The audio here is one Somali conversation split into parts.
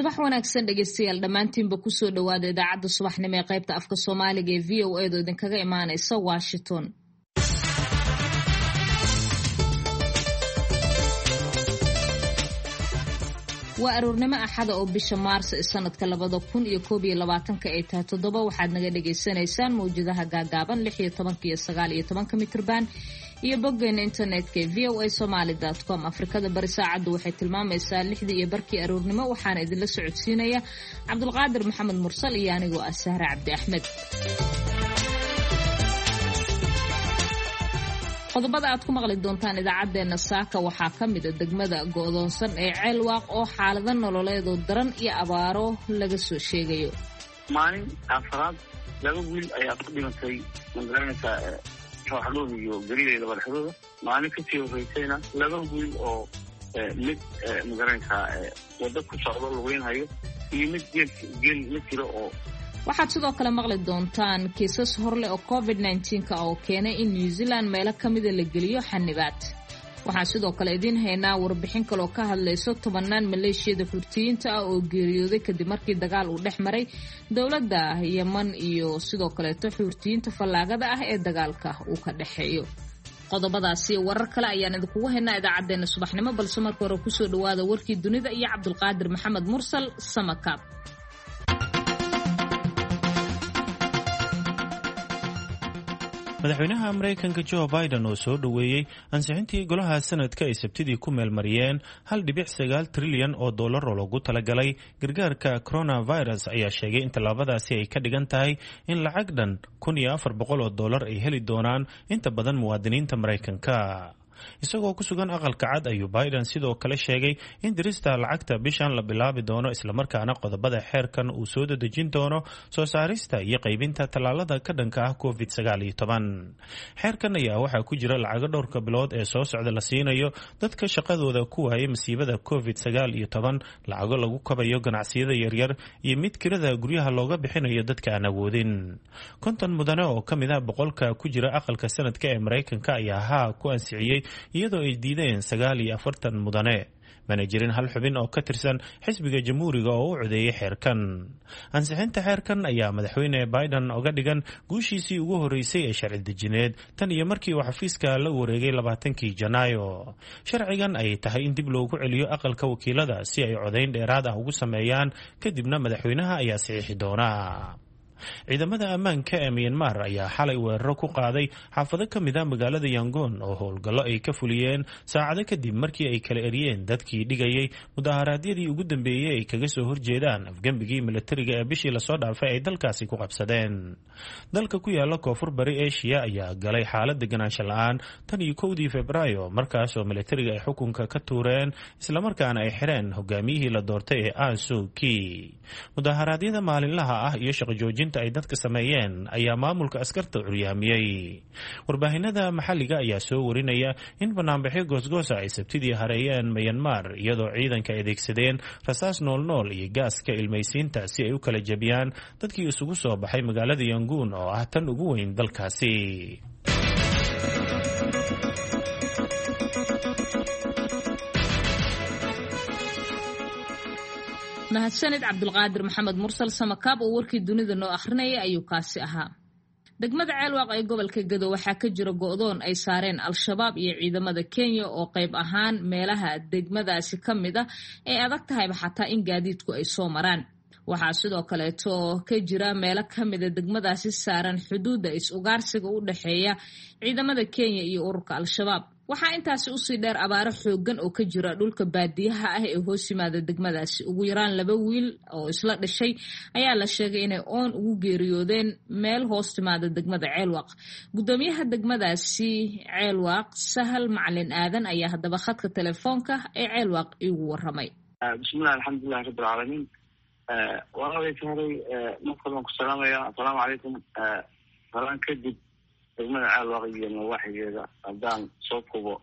Subax wanaagsan dhegeystayaal, dhammaantiinba kusoo dhawaada idaacadda subaxnimo ee qaybta afka Soomaaliga ee VOA da idinkaga imaaneysa Washington. Waa aroornimo Axada oo bisha Maarso ee sanadka 2021-ka ay tahay 7. Waxaad naga dhagaysanaysaan mawjadaha gaagaaban 16-ka iyo 19-ka mitrban iyo boggeena internetka ee voasomaly.com. Afrikada Bari saacaddu waxay tilmaamaysaa 6:30 aroornimo. Waxaana idinla socodsiinaya Cabdulqaadir Maxamed Mursal iyo anigoo ah Sahre Cabdi Axmed. Qodobada aad ku maqli doontaan idaacaddeenna saaka waxaa ka mida degmada go'doonsan ee Ceelwaaq oo xaalado nololeedoo daran iyo abaaro laga soo sheegayo. Maalin afraad laba wiil ayaa ku dhimatay, magaranaysaa, rooxdhooda iyo garideeda barxadooda. Maalin kasii horeysayna laba wiil oo mid, magaranaysaa, waddo ku socdo lugeynhayo iyo mid geel geel la jiro oo Waxaad sidoo kale maqli doontaan kiisas horleh oo COVID 19-ka oo keenay in New Zealand meelo ka mida la geliyo xanibaad. Waxaan sidoo kale idiin haynaa warbixin kaloo ka hadlayso tobanaan maleeshiyada Xuutiyiinta ah oo geeriyooday kadib markii dagaal uu dhex maray dowladda Yeman iyo sidoo kaleeto Xuutiyiinta fallaagada ah ee dagaalka uu ka dhexeeyo. Qodobadaasi warar kale ayaan idinkugu haynaa idaacaddeenna subaxnimo, balse marka hore kusoo dhawaada warkii dunida iyo Cabdulqaadir Maxamed Mursal Samakaab. Madaxweynaha Maraykanka Joe Biden oo soo dhoweeyey ansixintii golaha sanadka ay Sabtidii ku meelmariyeen 1.9 trilyan oo dollar oo loogu talagalay gargaarka coronavirus ayaa sheegay in tallaabadaasi ay ka dhigan tahay in lacag dhan 1400 oo dollar ay heli doonaan inta badan muwaadiniinta Maraykanka. Isagoo ku sugan Aqalka Cad ayuu Biden sidoo kale sheegay in dirista lacagta bishan la bilaabi doono, islamarkaana qodobada xeerkan uu soo dedejin doono soo saarista iyo qaybinta tallaalada ka dhanka ah COVID 19. Xeerkan ayaa waxaa ku jira lacago dhowrka bilood ee soo socda la siinayo dadka shaqadooda ku waayay masiibada COVID 19, lacago lagu kabayo ganacsiyada yaryar iyo mid kirada guryaha looga bixinayo dadka aan awoodin. 50 mudane oo ka mid ah 100-ka ku jira aqalka sanadka ee Maraykanka ayaa haa ku ansixiyey, iyadoo ay diideen 49 mudane. Mana jirin hal xubin oo ka tirsan xisbiga Jamhuuriga oo u codeeyay xeerkan. Ansixinta xeerkan ayaa madaxweyne Biden oga dhigan guushiisii ugu horeysay ee sharci dejineed tan iyo markii uu xafiiska la wareegay 20-kii Janaayo. Sharcigan ayay tahay in dib loogu celiyo aqalka wakiilada si ay codayn dheeraad ah ugu sameeyaan, kadibna madaxweynaha ayaa saxiixi doona. Ciidamada ammaanka ee Myanmar ayaa xalay weeraro ku qaaday xaafado ka mid a magaalada Yangon oo howlgallo ay ka fuliyeen saacado kadib markii ay kala eriyeen dadkii dhigayay mudaharaadyadii ugu dambeeyey ay kaga soo horjeedaan afgembigii milatariga ee bishii lasoo dhaafay ay dalkaasi ku qabsadeen. Dalka ku yaala koonfur bari Eshiya ayaa galay xaalad deganaansho la-aan tan iyo 1-dii Febraayo, markaasoo milatariga ay xukunka ka tuureen islamarkaana ay xireen hogaamiyihii la doortay ee Ansuki. Mudaharaadyada maalinlaha ah iyo shaqo joojinta ay dadka sameeyeen ayaa maamulka askarta curyaamiyey. Warbaahinada maxalliga ayaa soo warinaya in banaanbaxyo goosgoosa ay Sabtidii hareeyeen Myanmar, iyadoo ciidanka adeegsadeen rasaas noolnool iyo gaaska ilmaysiinta si ay u kala jebiyaan dadkii isugu soo baxay magaalada Yanguun oo ah tan ugu weyn dalkaasi. Mahadsanid Cabdulqaadir Maxamed Mursal Samakaab oo warkii dunida noo akhrinaya ayuu kaasi ahaa. Degmada Ceelwaaq ee gobolka Gado waxaa ka jira go'doon ay saareen Al-Shabaab iyo ciidamada Kenya, oo qayb ahaan meelaha degmadaasi ka mid ah ay adag tahayba xataa in gaadiidku ay soo maraan. Waxaa sidoo kaleeto ka jira meelo ka mida degmadaasi saaran xuduudda is-ugaarsiga u dhexeeya ciidamada Kenya iyo ururka Al-Shabaab. Waxaa intaasi usii dheer abaaro xooggan oo ka jira dhulka baadiyaha ah ee hoos yimaada degmadaasi. Ugu yaraan laba wiil oo isla dhashay ayaa la sheegay inay oon ugu geeriyoodeen meel hoos timaada degmada Ceelwaaq. Guddoomiyaha degmadaasi Ceelwaaq, Sahal Macalin Aadan, ayaa haddaba khadka telefoonka ee Ceelwaaq iigu waramay. Bismillahi, alxamdulilahi rabbi alcaalamiin. Walaalay Sahray, marka baan ku salaamaya. Assalaamu calaykum. Salaan kadib, degmada Ceelwaaq iyo nawaaxigeeda haddaan soo kubo,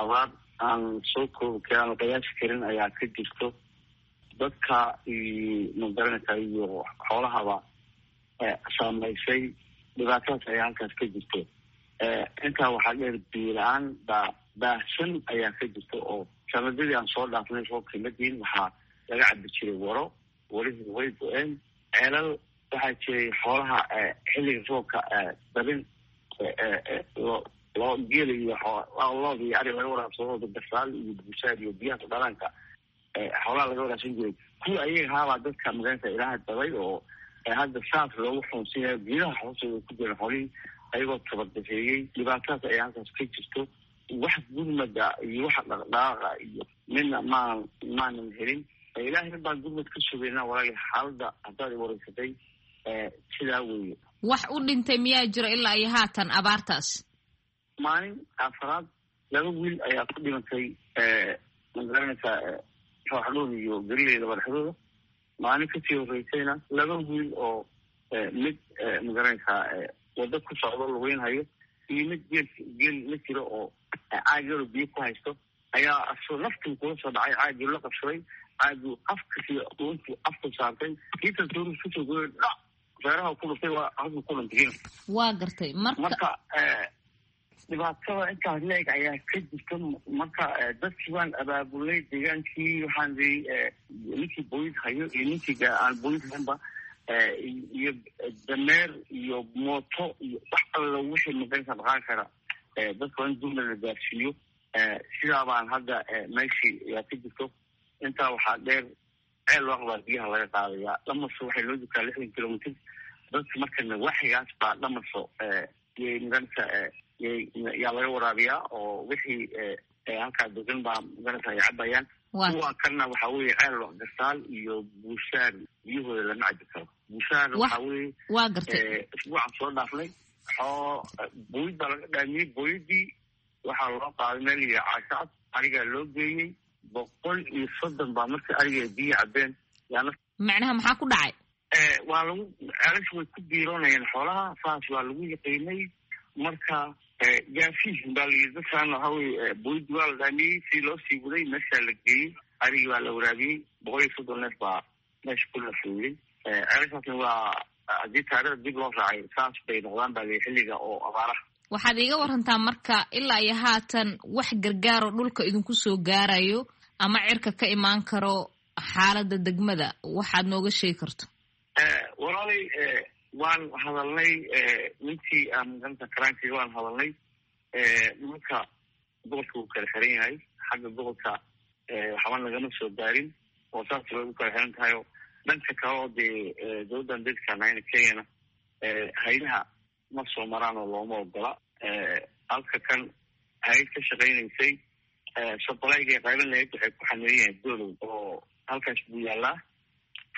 abaar aan soo koobi karin, aan qiyaasi karin ayaa ka jirto. Dadka iyo, magaranaysa, iyo xoolahaba saamaysay. Dhibaatadaas ayaa halkaas ka jirto. Intaa waxaa dheer biyo la-aan baa baahsan ayaa ka jirta, oo sanadadii aan soo dhaafnay roobkii ma diin. Waxaa laga cabi jiray waro, warihii way go-een. Ceelal waxaa jiray xoolaha xilliga roobka dabin loo geela iyo looda iyo ari laga waraabsado, gasaal iyo busaar iyo biyaha dhalaanka xoolaha laga waraabsan jiray. Kuwa ayaga haabaa dadka magaranaysa ilaaha dabay oo hadda saas loogu xuunsinaya, geedaha hoostooda ku jiran xoolihii ayagoo tabardafeeyey. Dhibaatadaas ayaa halkaas ka jirto. Wax gurmada iyo waxa dhaqdhaqaaqa iyo midna maanan helin. Ilaahay baan gurmad ka sugeynaa walaali. Xaaladda haddaad i wareysatay sidaa weeye. Wax u dhintay miyaa jira ilaa iyo haatan abaartaas? Maalin afraad laba wiil ayaa ku dhimantay, magaranaysaa, rooxdhood iyo galiley laba dhexdooda. Maalin kasii horeysayna laba wiil oo mid, magaranaysaa, waddo ku socdo lugeynhayo iyo mid geel geel la jiro oo caag yaro biyo ku haysto ayaa asoo naftuu kula soo dhacay, caagii la qabsaday, caaguu afkasi intuu afku saartay kii kalsoori kusoo gooyay, dhac feeraha ku dhuftay, waa halkuu ku dhintay. Waa gartay. Marka dhibaatada intaas la-eg ayaa ka jirta. Marka dadkii waan abaabulnay deegaankii, waxaan ii ninkii booyid hayo iyo ninkii aan booyid haynba iyo dameer iyo mooto iyo wax alla wixii maganaysa dhaqaan kara, dadka waa in gurmad la gaarsiiyo. Sidaa baan hadda meeshii ayaa ka jirto. Intaa waxaa dheer, ceel waaqbaa biyaha laga qaadayaa. Dhamaso waxay loo jirtaa 60 kilomitr. Dadka marka nawaaxigaas baa dhamaso yay maganaysa yaa laga waraabiyaa oo wixii halkaa degan baa maganaysa ay cabayaan. Kuwa kalena waxaa weeye ceel gasaal iyo buushaar biyahooda lama cabi karo. Buushaar waxaa weeye Waa gartay. Isbuucan soo dhaafnay xoo booyid baa laga dhaamiyey. Booyadii waxaa loo qaaday meel iyo caashacad, arigaa loo geeyey. 130 baa markii ariga biyo cabeen yaana. Macnaha maxaa ku dhacay? Waa lagu ceelashu way ku biiroonayeen xoolaha, saas waa lagu yaqiinay. Marka gaafiis baa layidhi dadkaan. Waxaa weye booyadii waa la dhaamiyey, si loo sii waday meeshaa la geeyey, arigii baa la waraabiyey. 130 neef baa meesha ku lafooyey. Ceelashaasna waa haddii taariikhda dib loo raacay saas bay noqdaan baa layihi xilliga oo abaaraha. Waxaad iiga warantaa marka ilaa iyo haatan wax gargaaroo dhulka idinku soo gaarayo ama cirka ka imaan karo xaaladda degmada, waxaad nooga sheegi karto? Walaalay, waan hadalnay ninkii magaranta karaankiga, waan hadalnay. Nimanka gobolka wuu kala xiran yahay, xagga gobolka waxba nagama soo gaarin oo saas way u kala xiran tahay. Oo dhanka kale oo dee dowladdan dadka Kenyana haydaha ma soo maraan oo looma ogola. Halka kan hayd ka shaqaynaysay supplyga qayban lahayd waxay ku xameeyan yahay dolow oo halkaas buu yaalaa.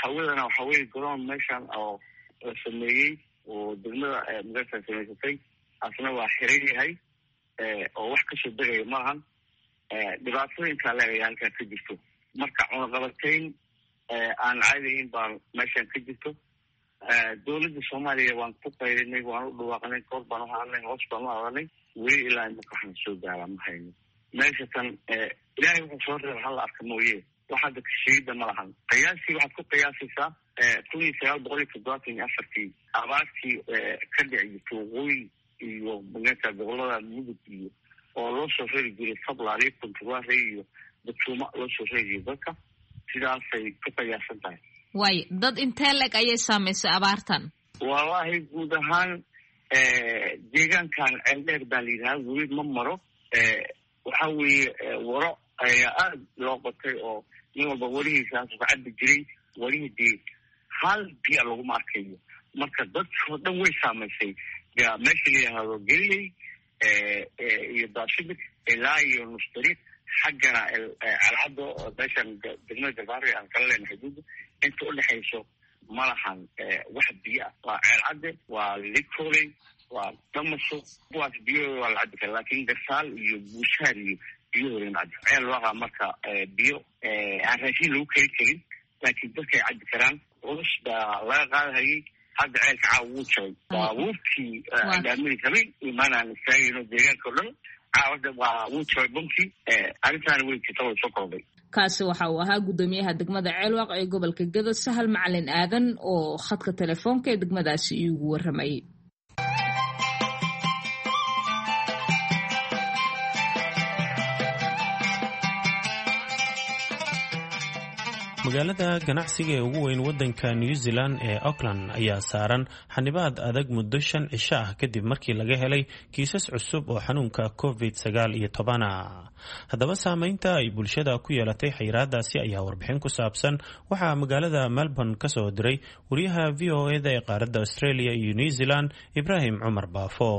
Hawadana waxa weye garoon meeshan oo la sameeyey oo degmada magarta samaysatay, asna waa xiran yahay oo wax kasoo degaya malahan. Dhibaatooyinkaa leegaya halkaa ka jirto. Marka cunaqabatayn aan caadahayn baa meeshan ka jirto. Dowladda Soomaaliya waan ku qaylinay, waan u dhawaaqnay, koor baan u hadalnay, hoos baan u hadalnay, weli ilaa imaka waxaan soo gaaraa ma hayno. Meesha tan ilaahay wuxuu soo reeba hala arka mooye, wax hadda kasheegida ma lahan. Qiyaastii waxaad ku qiyaasaysaa 1974-tii abaartii ka dhici jirtay waqooyi iyo magarta gobolada Mudug iyo oo loo soo reeri jiray Sablaali, Kuntuwaare iyo Batuuma loo soo reeri jiray dadka, sidaasay ku qiyaasan tahay. Waayo, dad intee leeg ayay saameysay abaartan? Wallaahi guud ahaan deegaankan ceeldheer baa la yidhahaa, weli ma maro. Waxa weeye waro ayaa aada loo qotay oo nin walba warihiisaasu ka cabi jiray. Warihii dee hal biya laguma arkayo. Marka dadkoo dhan way saamaysay meesha la yidhaahdo Geliley iyo Daashibir ilaa iyo Nusdariiq, xaggana Calcado, meeshan degmada Garbaari aan kala leenahay xuduudda inta udhexayso ma lahan wax biyo ah. Waa Ceelcadde, waa Likoley, waa Damaso, kuwaas biyahooda waa la cabi kara, laakiin Garsaal iyo Buushaar iyo biyahooda lama cabi. Ceel waaqa marka biyo aan raashin lagu kari karin, laakiin dadka ay cabi karaan. Culus baa laga qaadahayay. Hadda ceelka caawa wuu jabay, baabuurkii dhaamidi rabay imaanaan istaagayno deegaanka o dhan caawada waa wuu jabay bunkii. Arrintaana way jirta, way soo kordhay. Kaasi waxa uu ahaa guddoomiyaha degmada Ceelwaaq ee gobolka Gedo, Sahal Macalin Aadan, oo khadka telefoonka ee degmadaasi iigu warramayay. Magaalada ganacsiga ee ugu weyn wadanka New Zealand ee Auckland ayaa saaran xanibaad adag muddo 5 cisho ah kadib markii laga helay kiisas cusub oo xanuunka COVID-19. Haddaba saameynta ay bulshada ku yeelatay xayiraadaasi ayaa warbixin ku saabsan waxaa magaalada Melbourne ka soo diray wariyaha VOA-da ee qaaradda Australia iyo New Zealand, Ibraahim Cumar Baafo.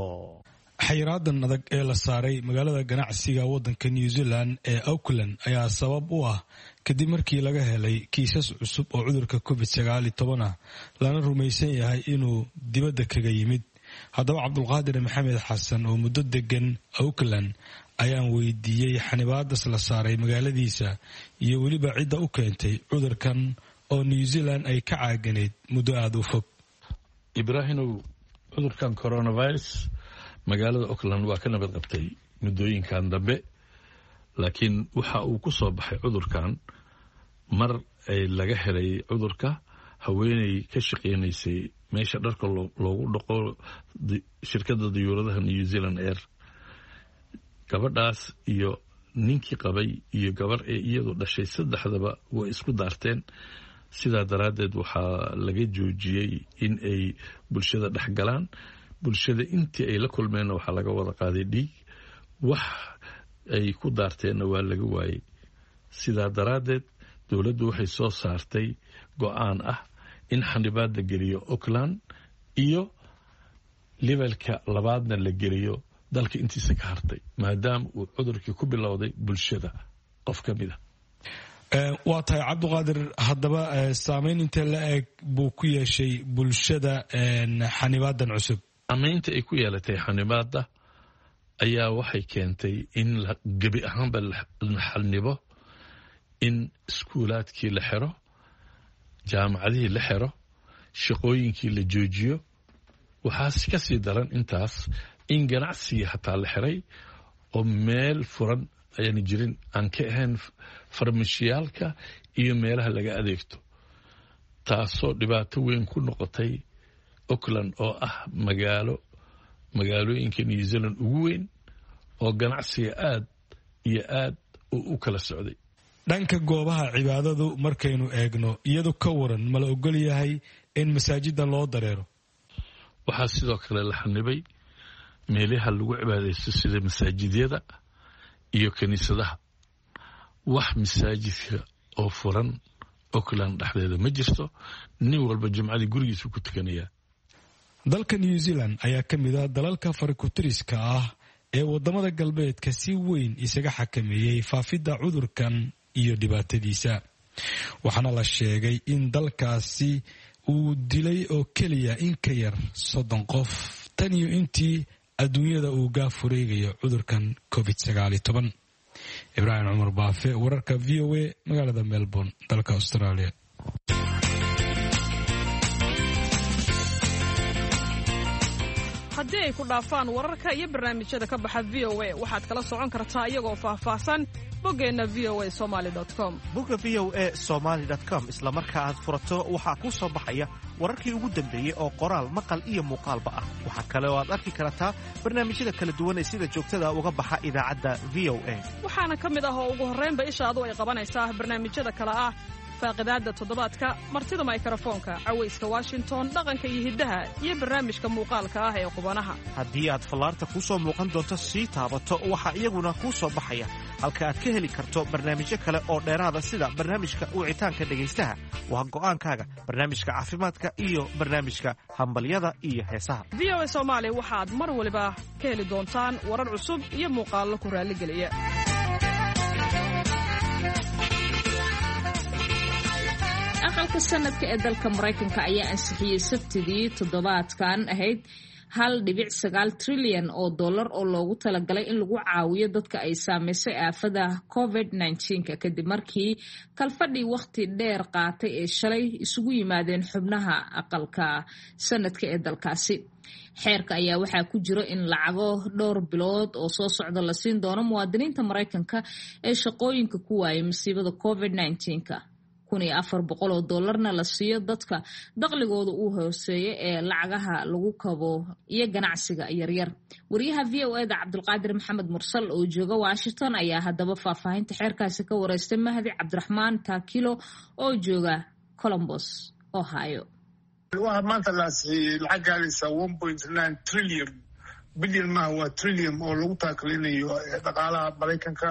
Xayiraadan adag ee la saaray magaalada ganacsiga wadanka New Zealand ee Auckland ayaa sabab u ah kadib markii laga helay kiisas cusub oo cudurka COVID-19 ah, lana rumaysan yahay inuu dibadda kaga yimid. Haddaba Cabdulqaadir Maxamed Xasan oo muddo degan Auckland ayaan weydiiyey xanibaadas la saaray magaaladiisa iyo weliba cidda u keentay cudurkan oo New Zealand ay ka caaganayd muddo aada u fog. Ibraahinow, cudurkan coronavirus magaalada Auckland waa ka nabad qabtay muddooyinkan dambe, laakiin waxa uu ku soo baxay cudurkan mar ay laga helay cudurka haweeney ka shaqeynaysay meesha dharka loogu dhaqo shirkadda diyuuradaha New Zealand Air. Gabadhaas iyo ninkii qabay iyo gabar ee iyadu dhashay, saddexdaba way isku daarteen. Sidaa daraaddeed waxaa laga joojiyey in ay bulshada dhex galaan. Bulshada intii ay la kulmeenna waxaa laga wada qaaday dhiig, wax ay ku daarteenna waa laga waayey. Sidaa daraaddeed dowladdu waxay soo saartay go-aan ah in xanibaad la geliyo Auckland iyo levelka labaadna la geliyo dalka intiisa ka hartay, maadaama uu cudurkii ku bilowday bulshada qof ka mid a. Waa tahay, Cabdiqaadir. Haddaba saameyn intee la eg buu ku yeeshay bulshada xanibaadan cusub? Saameynta ay ku yeelatay xanibaadda ayaa waxay keentay in gebi ahaanba la xanibo, in iskuulaadkii la xiro, jaamacadihii la xiro, shaqooyinkii la joojiyo. Waxaas ka sii daran intaas in ganacsigii hataa la xiray oo meel furan ayaan jirin aan ka ahayn farmashiyaalka iyo meelaha laga adeegto, taasoo dhibaato weyn ku noqotay Auckland oo ah magaalo magaalooyinka New Zealand ugu weyn oo ganacsiga aad iyo aad uu u kala socday. Dhanka goobaha cibaadadu markaynu eegno, iyadu ka waran, ma la ogol yahay in masaajida loo dareero? Waxaa sidoo kale la xanibay meelaha lagu cibaadaysto sida masaajidyada iyo kiniisadaha. Wax masaajidka oo furan Auckland dhexdeeda ma jirto. Nin walba jumcadii gurigiisu ku tukanayaa. Dalka New Zealand ayaa ka mid ah dalalka farikutiriska ah ee wadamada galbeedka si weyn isaga xakameeyey faafidda cudurkan iyo dhibaatadiisa, waxaana la sheegay in dalkaasi uu dilay oo keliya in ka yar 30 qof tan iyo intii adduunyada uu gaaf wareegayo cudurkan COVID-19. Ibraahim Cumar Baafe, wararka VOA, magaalada Melbourne, dalka Australia. Haddii ay ku dhaafaan wararka iyo barnaamijyada ka baxa VOA, waxaad kala socon kartaa iyagoo faahfaahsan boggeenna voa somali com. Bogga voa somali com isla marka aad furato waxaa kuu soo baxaya wararkii ugu dambeeyey oo qoraal, maqal iyo muuqaalba ah. Waxaa kale oo aad arki kartaa barnaamijyada kala duwan ee sida joogtada uga baxa idaacadda VOA. Waxaana ka mid ah oo ugu horraynba ishaadu ay qabanaysaa barnaamijyada kale ah: faaqidaadda toddobaadka, martida maykarafoonka, cawayska Washington, dhaqanka iyo hiddaha, iyo barnaamijka muuqaalka ah ee qubanaha. Haddii aad fallaarta kuu soo muuqan doonto sii taabato, waxaa iyaguna kuu soo baxaya halka aad ka heli karto barnaamijyo kale oo dheeraada, sida barnaamijka wicitaanka dhegaystaha, waa go'aankaaga, barnaamijka caafimaadka iyo barnaamijka hambalyada iyo heesaha. VOA Soomaali waxaad mar waliba ka heli doontaan warar cusub iyo muuqaallo ku raalligeliya. Aqalka Sanadka ee dalka Maraykanka ayaa ansixiyey Sabtidii toddobaadkan ahayd 1.9 trilyan oo dollar oo loogu talagalay in lagu caawiyo dadka ay saameysay aafada COVID-19-ka, kadib markii kalfadhii wakhti dheer qaatay ee shalay isugu yimaadeen xubnaha aqalka sanadka ee dalkaasi. Xeerka ayaa waxaa ku jiro in lacago dhowr bilood oo soo socda la siin doono muwaadiniinta Maraykanka ee shaqooyinka ku waayay masiibada COVID-19-ka. $1,400 oo doolarna la siiyo dadka daqligooda uu hooseeya ee lacagaha lagu kabo iyo ganacsiga yaryar. Wariyaha VOA-da Cabdulqaadir Maxamed Mursal oo jooga Washington ayaa haddaba faahfaahinta xeerkaasi ka wareystay Mahdi Cabdiraxmaan Taakilo oo jooga Columbus, Ohio. Waxaa maanta la ansixiyey lacag gaaraysa 1.9 trillion, bilyan maaha, waa trillion, oo lagu taakalinayo dhaqaalaha Maraykanka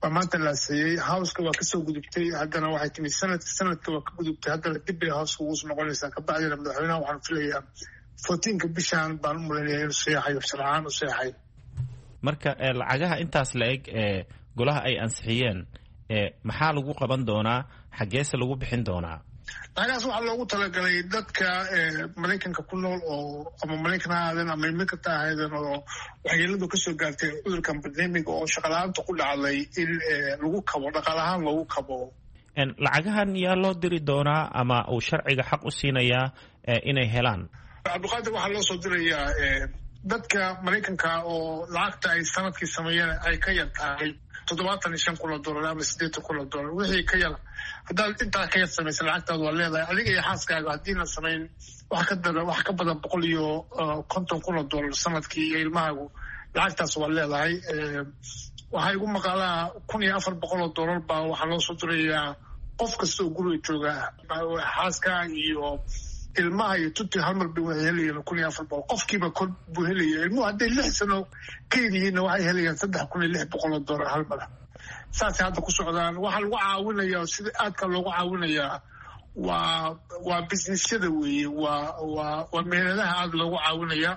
baa maanta la ansixiyey. House-ka waa kasoo gudubtay, haddana waxay timi Senate-ka. Senate-ka waa ka gudubtay, haddana dib bay House-ka ugu soo noqonaysaa. Kabacdina madaxweynaha waxaan filayaa 14-ka bishaan baan u malaynaya inuu seexayo, sharcaan u seexay. Marka lacagaha intaas la eg ee golaha ay ansixiyeen, maxaa lagu qaban doonaa? Xaggeese lagu bixin doonaa? Lacagahaas waxaa loogu talagalay dadka Maraykanka ku nool oo ama Maraykan ha ahaadeen ama immigrant ha ahaadeen oo waxyeeladu kasoo gaartay cudurkan pandemic-ga oo shaqala-aanta ku dhacday in lagu kabo, dhaqaal ahaan loogu kabo. Lacagahan yaa loo diri doonaa ama uu sharciga xaq u siinayaa inay helaan? Cabdiqaadir, waxaa loo soo dirayaa dadka Maraykanka oo lacagta ay sanadkii sameeyeen ay ka yar tahay $75,000 ama $80,000. Wixii ka yar, haddaad intaa ka yar samaysa, lacagtaadu waa leedahay adiga iyo xaaskaaga. Haddiina samayn wax ka dara, wax ka badan $150,000 sanadkii iyo ilmahaagu, lacagtaas waa leedahay. Waxaa igu maqaalaa $1,400 baa waxaa loo soo dirayaa qof kasta oo guriga jooga, xaaska iyo ilmaha iyo tuti, hal mar bay waxay helayeen 1,400 qofkiiba kor buu helaya. Ilmuhu hadday 6 sano ka yar yihiinna, waxay helayaan $3,600 hal mar. Saasay hadda ku socdaan. Waxaa lagu caawinayaa, sida aadka loogu caawinayaa, waa business-yada weeye, waa meheradaha aada loogu caawinayaa.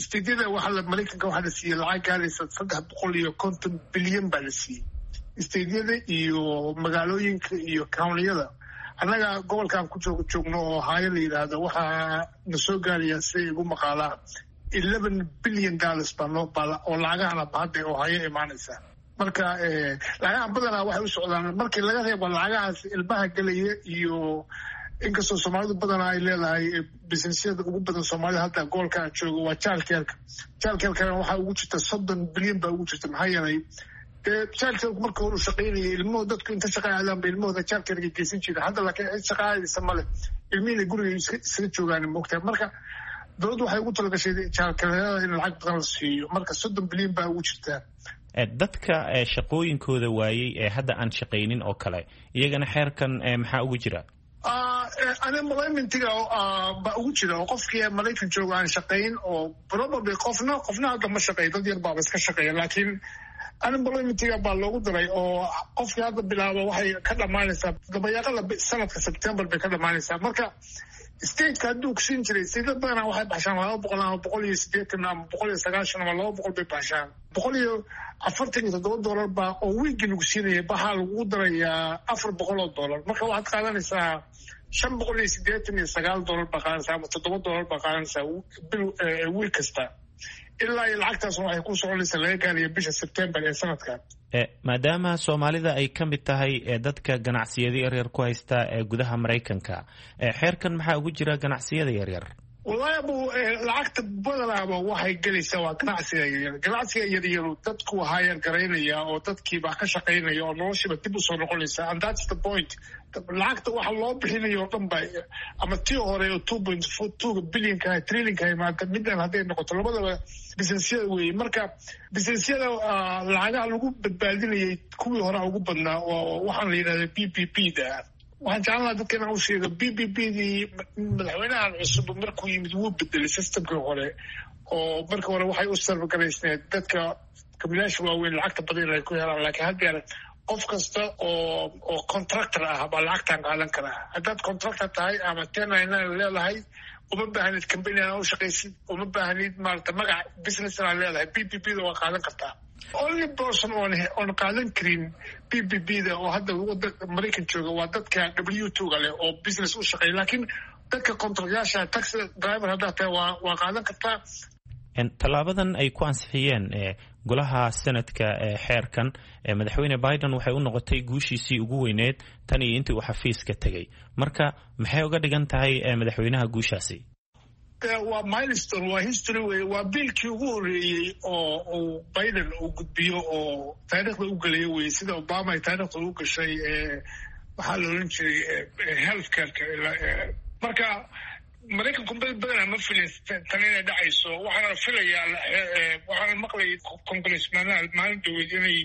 State-yada waxaa Maraykanka waxaa la siiyey lacag gaaraysa 350 bilyan baa la siiyey state-yada iyo magaalooyinka iyo county-yada. Annaga gobolkaan ku joogno oo Ohio la yidhaahdo waxaa na soo gaaraya, sida igu maqaalaa, $11 billion baa noo bala oo lacagahana hadda Ohio imaanaysa. Marka lacagaha badanaa waxay u socdaan, markii laga reebo lacagahaas ilmaha gelaya, iyo inkastoo Soomaalidu badanaa ay leedahay business-yada ugu badan Soomaalida hadda gobolka aan joogo waa childcare-ka. Childcare-kana waxaa ugu jirta 30 bilyan baa ugu jirta. Maxaa yeelay, dee childcare-ku marka hore u shaqaynayay, ilmuhu dadku inta shaqa aadaan ba ilmahooda childcare-ka geysan jira. Hadda laakiin cid shaqa aadaysa male, ilmihiina guriga isaga joogaan, moogtahay. Marka dowladdu waxay ugu talagashay childcare-yada in lacag badan la siiyo. Marka 30 bilyan baa ugu jirtaa. Dadka shaqooyinkooda waayey ee hadda aan shaqaynin oo kale, iyagana xeerkan maxaa ugu jira? Unemployment-iga baa ugu jira, oo qofkii Maraykan jooga aan shaqayn oo probably qofna hadda ma shaqeeyo, dad yar baaba iska shaqeeya, laakiin unemployment-iga baa loogu daray oo qofkii hadda bilaaba waxay ka dhammaanaysaa dabayaaqada sanadka, September bay ka dhammaanaysaa. Marka state-ka hadduu kusiin jiray, state badanaa waxay baxshaan 200 ama 180 ama 190 ama 200 bay baxshaan. $147 baa oo wiigii lagu siinaya, waxaa lagu darayaa $400. Marka waxaad qaadanaysaa $589 baa qaadanaysaa ama $7 baa qaadanaysaa bil, wiig kasta, ilaa iyo lacagtaas waxay ku soconaysaa laga gaarayo bisha September ee sanadkan. Maadaama Soomaalida ay ka mid tahay dadka ganacsiyada yaryar ku haysta ee gudaha Maraykanka, xeerkan maxaa ugu jira ganacsiyada yaryar? Wallahi abu, lacagta badanaaba waxay gelaysaa waa ganacsiga yaryar. Ganacsiga yaryaru dadku hire garaynaya oo dadkiiba ka shaqaynaya oo noloshiiba dib usoo noqonaysa, and that's the point. Lacagta waxa loo bixinayo oo dhan ba, ama tii hore oo 2.2 billion-ka trillion-ka imaata, midan hadday noqoto, labadaba business-yada weeye. Marka business-yada lacagaha lagu badbaadinayay kuwii hore ugu badnaa oo waxaan la yidhahda PPP da. Waxaan jeclaan lahaa dadka inaan u sheego PPP dii madaxweynahan cusub markuu yimid wuu bedelay system-kii hore, oo markii hore waxay u sarfgaraysneed dadka kabilaasha waaweyn lacagta badan inay ku helaan, laakiin haddeer qof kasta oo contractor ah baa lacagtan qaadan karaa. Haddaad contractor tahay ama 1099 leedahay, uma baahnid company aan u shaqaysid, uma baahnid maarata magac business inaad leedahay, PPP da waa qaadan kartaa. Only person oon qaadan karin PPP da oo hadda wadanka Maraykan jooga waa dadka W-2-ga leh oo business u shaqeeya, laakiin dadka contract-yaasha, taxi driver haddaad tahay, waa qaadan kartaa. Tallaabadan ay ku ansixiyeen golaha Senate-ka ee xeerkan madaxweyne Biden waxay u noqotay guushiisii ugu weyneed tan iyo intii uu xafiiska tegey. Marka maxay uga dhigan tahay madaxweynaha guushaasi? Waa milestone, waa history wey. Waa biilkii ugu horreeyey oo uu Biden uu gudbiyo oo taariikhda u gelayo wey, sida Obama ay taariikhda u gashay. Waxaa la oran jiray health careka. Marka Maraykanku badanaa ma filin tan inay dhacayso. Waxaana filayaa, waxaana maqlayay congressmanaha maalin dhaweyd inay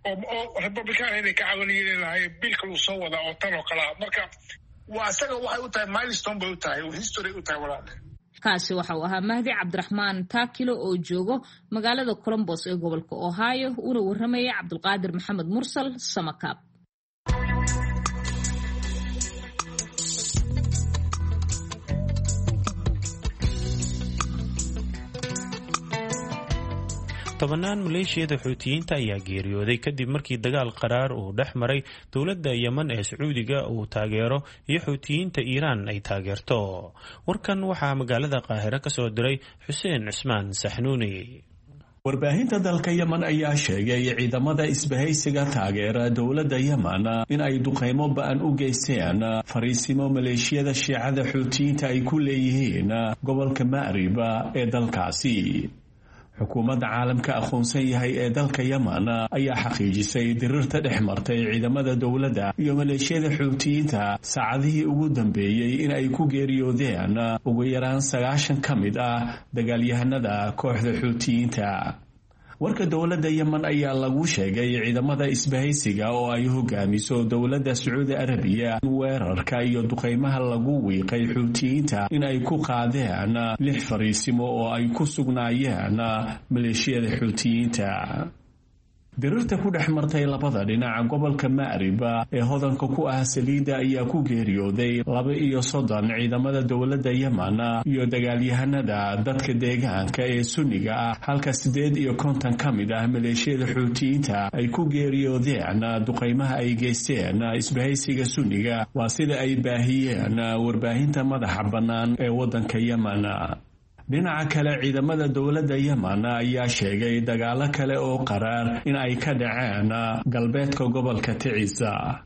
oo Republican inay ka caawinayeen lahaayeen biilka uu soo wadaa oo tan oo kale ah. Marka waa isaga waxay u tahay milestone bay u tahay, history u tahay, walaale. Kaasi waxa uu ahaa Mahdi Cabdiraxmaan Taakilo oo joogo magaalada Colombos ee gobolka Ohio, una warramaya Cabdulqaadir Maxamed Mursal Samakaab. Tobanaan maleeshiyada Xuutiyiinta ayaa geeriyooday kadib markii dagaal qaraar uu dhex maray dowladda Yemen ee Sacuudiga uu taageero iyo Xuutiyiinta Iiraan ay taageerto. Warkan waxaa magaalada Qaahiro ka soo diray Xuseen Cusmaan Saxnuuni. Warbaahinta dalka Yemen ayaa sheegay ciidamada isbahaysiga taageera dowladda Yemen in ay duqaymo ba-an u geysteen fariisimo maleeshiyada Shiicada Xuutiyiinta ay ku leeyihiin gobolka Ma'rib ee dalkaasi. Xukuumadda caalamka aqoonsan yahay ee dalka Yemen ayaa xaqiijisay dirirta dhex martay ciidamada dowladda iyo maleeshiyada Xuutiyiinta saacadihii ugu dambeeyey in ay ku geeriyoodeen ugu yaraan 90 ka mid ah dagaalyahanada kooxda Xuutiyiinta. Warka dowladda Yemen ayaa lagu sheegay ciidamada isbahaysiga oo ay hogaamiso dowladda Sacuudi Arabiya weerarka iyo duqaymaha lagu wiiqay Xuutiyiinta in ay ku qaadeen lix fariisimo oo ay ku sugnaayeen maleeshiyada Xuutiyiinta. Dirirta ku dhex martay labada dhinaca gobolka Ma'rib ee hodanka ku ah saliidda ayaa ku geeriyooday 32 ciidamada dowladda Yemen iyo dagaalyahanada dadka deegaanka ee Sunniga ah, halka 58 ka mid ah maleeshiyada Xuutiyiinta ay ku geeriyoodeen duqaymaha ay geysteen isbahaysiga Sunniga, waa sida ay baahiyeen warbaahinta madaxa bannaan ee waddanka Yemen. Dhinaca kale, ciidamada dowladda Yemen ayaa sheegay dagaalo kale oo qaraar in ay ka dhaceen galbeedka gobolka Ticiisa.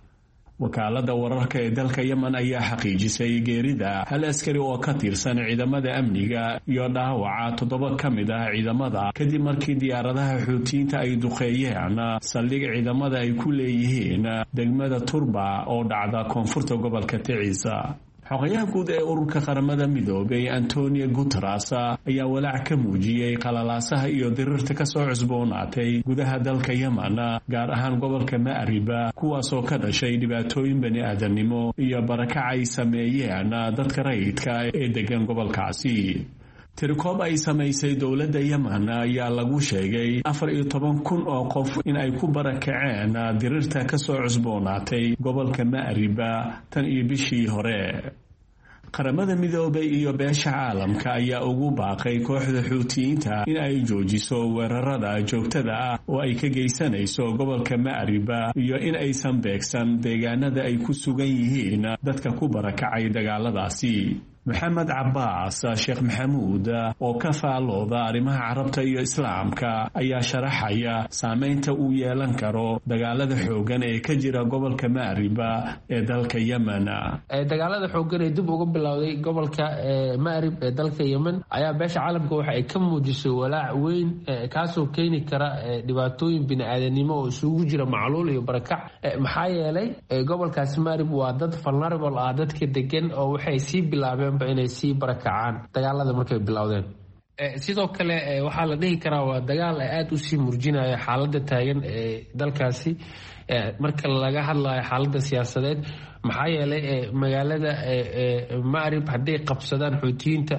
Wakaalada wararka ee dalka Yemen ayaa xaqiijisay geerida hal askari oo ka tirsan ciidamada amniga iyo dhaawaca 7 ka mid ah ciidamada kadib markii diyaaradaha Xuutiyiinta ay duqeeyeen saldhig ciidamada ay ku leeyihiin degmada Turba oo dhacda koonfurta gobolka Ticiisa. Xogayaha guud ee ururka Qaramada Midoobay Antonio Guteres ayaa walaac ka muujiyey qalalaasaha iyo dirirta kasoo cusboonaatay gudaha dalka Yemen, gaar ahaan gobolka Ma'riba, kuwaasoo ka dhashay dhibaatooyin bani aadamnimo iyo barakac ay sameeyeen dadka rayidka ee degan gobolkaasi. Tirikoob ay samaysay dowladda Yemen ayaa lagu sheegay 14,000 oo qof in ay ku barakaceen dirirta kasoo cusboonaatay gobolka Ma'riba tan iyo bishii hore. Qaramada Midoobay iyo beesha caalamka ayaa ugu baaqay kooxda Xuutiyiinta in ay joojiso weerarada joogtada ah oo ay ka geysanayso gobolka Ma'riba iyo in aysan beegsan deegaanada ay ku sugan yihiin dadka ku barakacay dagaaladaasi. Maxamed Cabaas Sheekh Maxamuud oo ka faalooda arrimaha Carabta iyo Islaamka ayaa sharaxaya saameynta uu yeelan karo dagaalada xooggan ee ka jira gobolka Ma'riba ee dalka Yemen. Dagaalada xooggan ee dib uga bilowday gobolka Ma'rib ee dalka Yemen ayaa beesha caalamka waxa ay ka muujisay walaac weyn, kaasoo keeni kara dhibaatooyin bini-aadanimo oo isugu jira macluul iyo barakac. Maxaa yeelay gobolkaasi Ma'rib waa dad vulnerable ah dadka degan, oo waxay sii bilaabeen inay sii barakacaan dagaalada markay bilowdeen. Sidoo kale waxaa la dhihi karaa waa dagaal aada usii murjinaya xaaladda taagan ee dalkaasi marka laga hadlayo xaaladda siyaasadeed. Maxaa yeelay magaalada Ma'rib hadday qabsadaan Xuutiyiinta,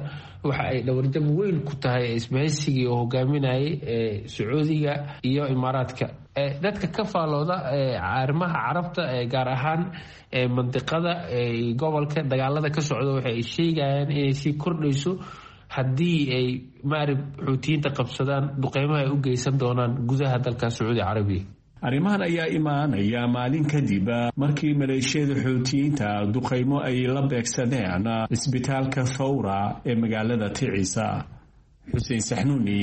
waxa ay dhawarjab weyn ku tahay isbahaysigii oo hogaaminayay Sacuudiga iyo Imaaraadka. Dadka ka faalooda arrimaha Carabta, gaar ahaan mandiqada gobolka dagaalada ka socda, waxa ay sheegayaan inay sii kordhayso haddii ay Ma'rib Xuutiyiinta qabsadaan duqeymaha ay u geysan doonaan gudaha dalka Sacuudi Carabiya. Arrimahan ayaa imaanaya maalin kadib markii maleeshiyada Xuutiyiinta duqaymo ay la beegsadeen isbitaalka Thawra ee magaalada Ticiisa. Xuseen Saxnuuni,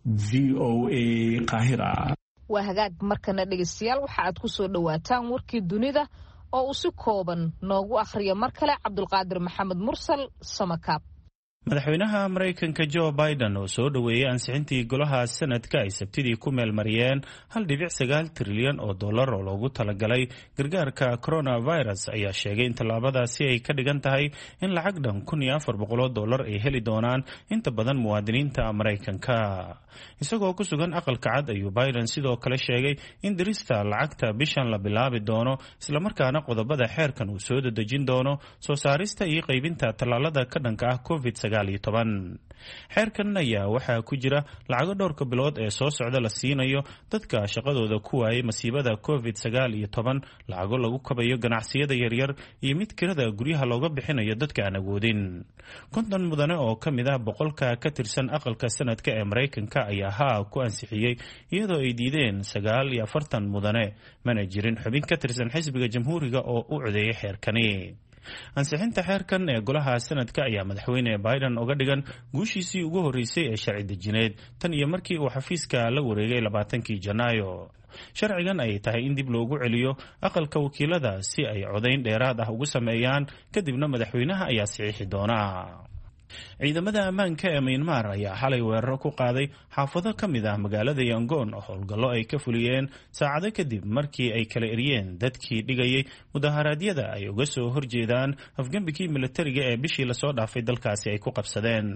VOA, Qaahira. Waa hagaag. Markana dhegeystayaal, waxa aad ku soo dhowaataan warkii dunida oo uu si kooban noogu akhriyo mar kale Cabdulqaadir Maxamed Mursal Samakaab. Madaxweynaha Maraykanka Joe Biden oo soo dhoweeyey ansixintii golaha sanadka ay Sabtidii ku meelmariyeen 1.9 trilyan oo dollar oo loogu talagalay gargaarka coronavirus ayaa sheegay in tallaabadaasi ay ka dhigan tahay in lacag dhan 1,400 dollar ay heli doonaan inta badan muwaadiniinta Maraykanka. Isagoo ku sugan Aqalka Cad ayuu Biden sidoo kale sheegay in dirista lacagta bishan la bilaabi doono, islamarkaana qodobada xeerkan uu soo dedejin doono soo saarista iyo qaybinta tallaalada ka dhanka ah COVID. Xeerkan ayaa waxaa ku jira lacago dhowrka bilood ee soo socda la siinayo dadka shaqadooda ku waayay masiibada COVID-19, lacago lagu kabayo ganacsiyada yaryar iyo mid kirada guryaha looga bixinayo dadka aan awoodin. 50 mudane oo ka mid ah 100-ka ka tirsan aqalka sanadka ee Maraykanka ayaa haa ku ansixiyey, iyadoo ay diideen 49 mudane. Mana jirin xubin ka tirsan xisbiga Jamhuuriga oo u codeeyay xeerkani. Ansixinta xeerkan ee golaha sanadka ayaa madaxweyne Biden uga dhigan guushiisii ugu horreysay ee sharci dejineed tan iyo markii uu xafiiska la wareegay 20-kii Janaayo. Sharcigan ayay tahay in dib loogu celiyo aqalka wakiilada si ay codayn dheeraad ah ugu sameeyaan, kadibna madaxweynaha ayaa saxiixi doona. Ciidamada ammaanka ee Myanmar ayaa xalay weeraro ku qaaday xaafado ka mid ah magaalada Yangon oo howlgallo ay ka fuliyeen saacado kadib markii ay kala eryeen dadkii dhigayay mudaharaadyada ay uga soo horjeedaan afgembigii militariga ee bishii lasoo dhaafay dalkaasi ay ku qabsadeen.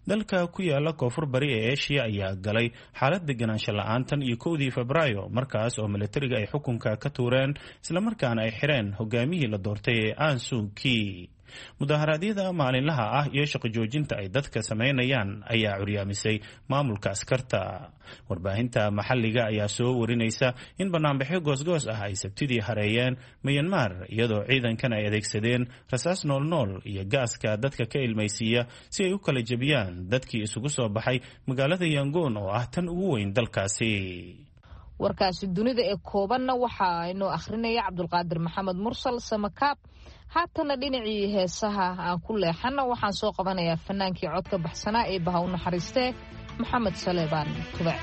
Dalka ku yaala koonfur bari ee Eshiya ayaa galay xaalad deganaansho la-aan tan iyo 1dii Febraayo, markaas oo militariga ay xukunka ka tuureen islamarkaana ay xireen hogaamihii la doortay ee Ansuki. Mudaharaadyada maalinlaha ah iyo shaqo joojinta ay dadka samaynayaan ayaa curyaamisay maamulka askarta. Warbaahinta maxalliga ayaa soo warinaysa in banaanbaxyo goosgoos ah ay Sabtidii hareeyeen Myanmar, iyadoo ciidankan ay adeegsadeen rasaas noolnool iyo gaaska dadka ka ilmaysiiya si ay u kala jebiyaan dadkii isugu soo baxay magaalada Yangoon oo ah tan ugu weyn dalkaasi. Warkaasi dunida ee koobanna waxaa inoo akhrinaya Cabdulqaadir Maxamed Mursal Samakaab. Haatana dhinacii heesaha aan ku leexanna, waxaan soo qabanayaa fanaankii codka baxsanaa ee baha u naxariistee Maxamed Saleebaan Tubec.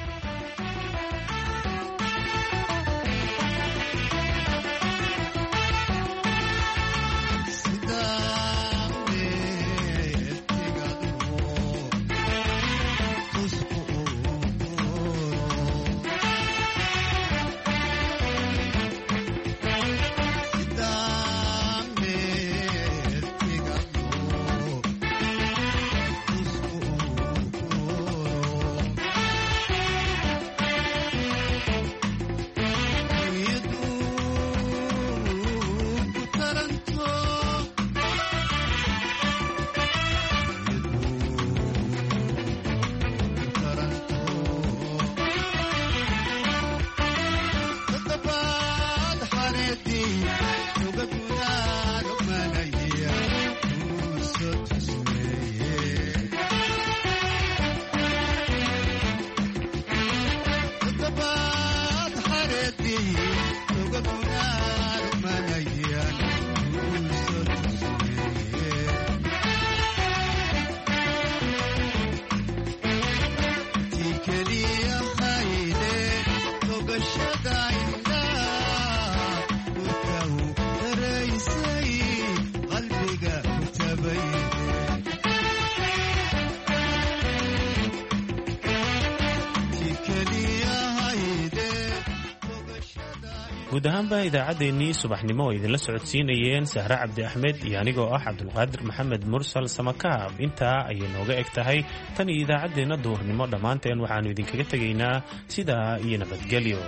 Guud ahaanba idaacaddeenii subaxnimo oo idinla socodsiinayeen Sahre Cabdi Axmed iyo anigoo ah Cabdulqaadir Maxamed Mursal Samakaab intaa ayay nooga eg tahay. Tan iyo idaacaddeenna duhurnimo dhammaanteen waxaannu idinkaga tegaynaa sidaa iyo nabadgelyo.